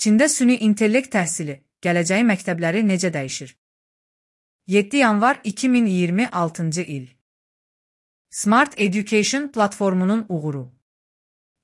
Çində süni intellekt təhsili, gələcəyi məktəbləri necə dəyişir? 7 yanvar 2026-cı il. Smart Education platformunun uğuru.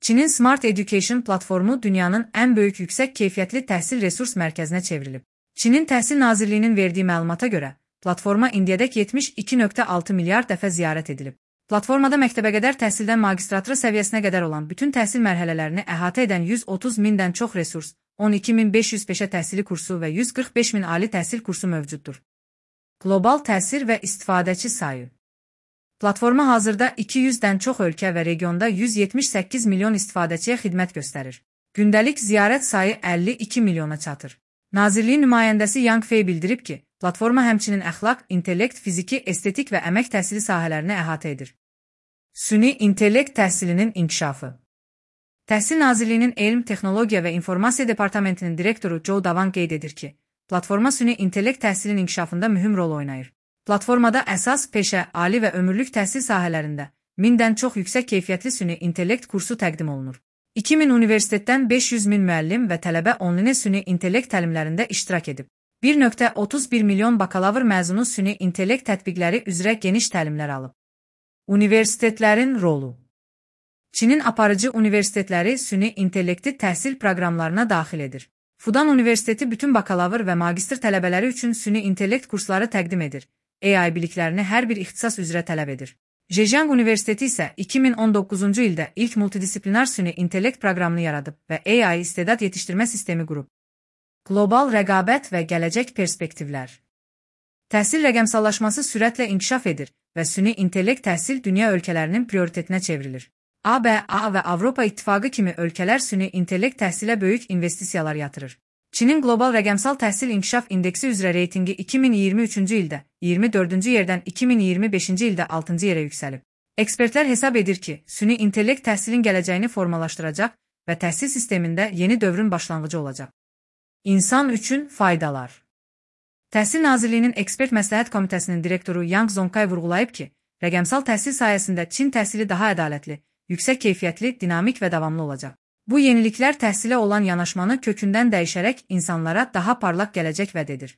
Çinin Smart Education platformu dünyanın ən böyük yüksək keyfiyyətli təhsil resurs mərkəzinə çevrilib. Çinin Təhsil Nazirliyinin verdiyi məlumata görə, platforma indiyədək 72,6 milyard dəfə ziyarət edilib. Platformada məktəbəqədər təhsildən magistratura səviyyəsinə qədər olan bütün təhsil mərhələlərini əhatə edən 130 mindən çox resurs, 12.500 peşə təhsili kursu və 145.000 ali təhsil kursu mövcuddur. Qlobal təsir və istifadəçi sayı. Platforma hazırda 200-dən çox ölkə və regionda 178 milyon istifadəçiyə xidmət göstərir. Gündəlik ziyarət sayı 52 milyona çatır. Nazirliyin nümayəndəsi Yang Fei bildirib ki, platforma həmçinin əxlaq, intellekt, fiziki, estetik və əmək təhsili sahələrini əhatə edir. Süni intellekt təhsilinin inkişafı. Təhsil Nazirliyinin Elm, Texnologiya və İnformasiya Departamentinin direktoru Zhou Davan qeyd edir ki, platforma süni intellekt təhsilinin inkişafında mühüm rol oynayır. Platformada əsas, peşə, ali və ömürlük təhsil sahələrində 1000-dən çox yüksək keyfiyyətli süni intellekt kursu təqdim olunur. 2000 universitetdən 500 min müəllim və tələbə onlinə süni intellekt təlimlərində iştirak edib. 1,31 milyon bakalavr məzunu süni intellekt tətbiqləri üzrə geniş təlimlər alıb. Universitetlərin rolu. Çinin aparıcı universitetləri süni intellekti təhsil proqramlarına daxil edir. Fudan Universiteti bütün bakalavr və magistr tələbələri üçün süni intellekt kursları təqdim edir. AI biliklərini hər bir ixtisas üzrə tələb edir. Zhejiang Universiteti isə 2019-cu ildə ilk multidisiplinar süni intellekt proqramını yaradıb və AI istedad yetişdirmə sistemi qurub. Qlobal rəqabət və gələcək perspektivlər. Təhsil rəqəmsallaşması sürətlə inkişaf edir və süni intellekt təhsil dünya ölkələrinin prioritetinə çevrilir. ABA və Avropa İttifaqı kimi ölkələr süni intellekt təhsilə böyük investisiyalar yatırır. Çinin Qlobal Rəqəmsal Təhsil İnkişaf İndeksi üzrə reytingi 2023-cü ildə 24-cü yerdən 2025-ci ildə 6-cı yerə yüksəlib. Ekspertlər hesab edir ki, süni intellekt təhsilin gələcəyini formalaşdıracaq və təhsil sistemində yeni dövrün başlanğıcı olacaq. İnsan üçün faydalar. Təhsil Nazirliyinin Ekspert Məsləhət Komitəsinin direktoru Yang Zongkay vurğulayıb ki, rəqəmsal təhsil sayəsində Çin təhsili daha ədalətli, yüksək keyfiyyətli, dinamik və davamlı olacaq. Bu yeniliklər təhsilə olan yanaşmanı kökündən dəyişərək insanlara daha parlaq gələcək vəd edir.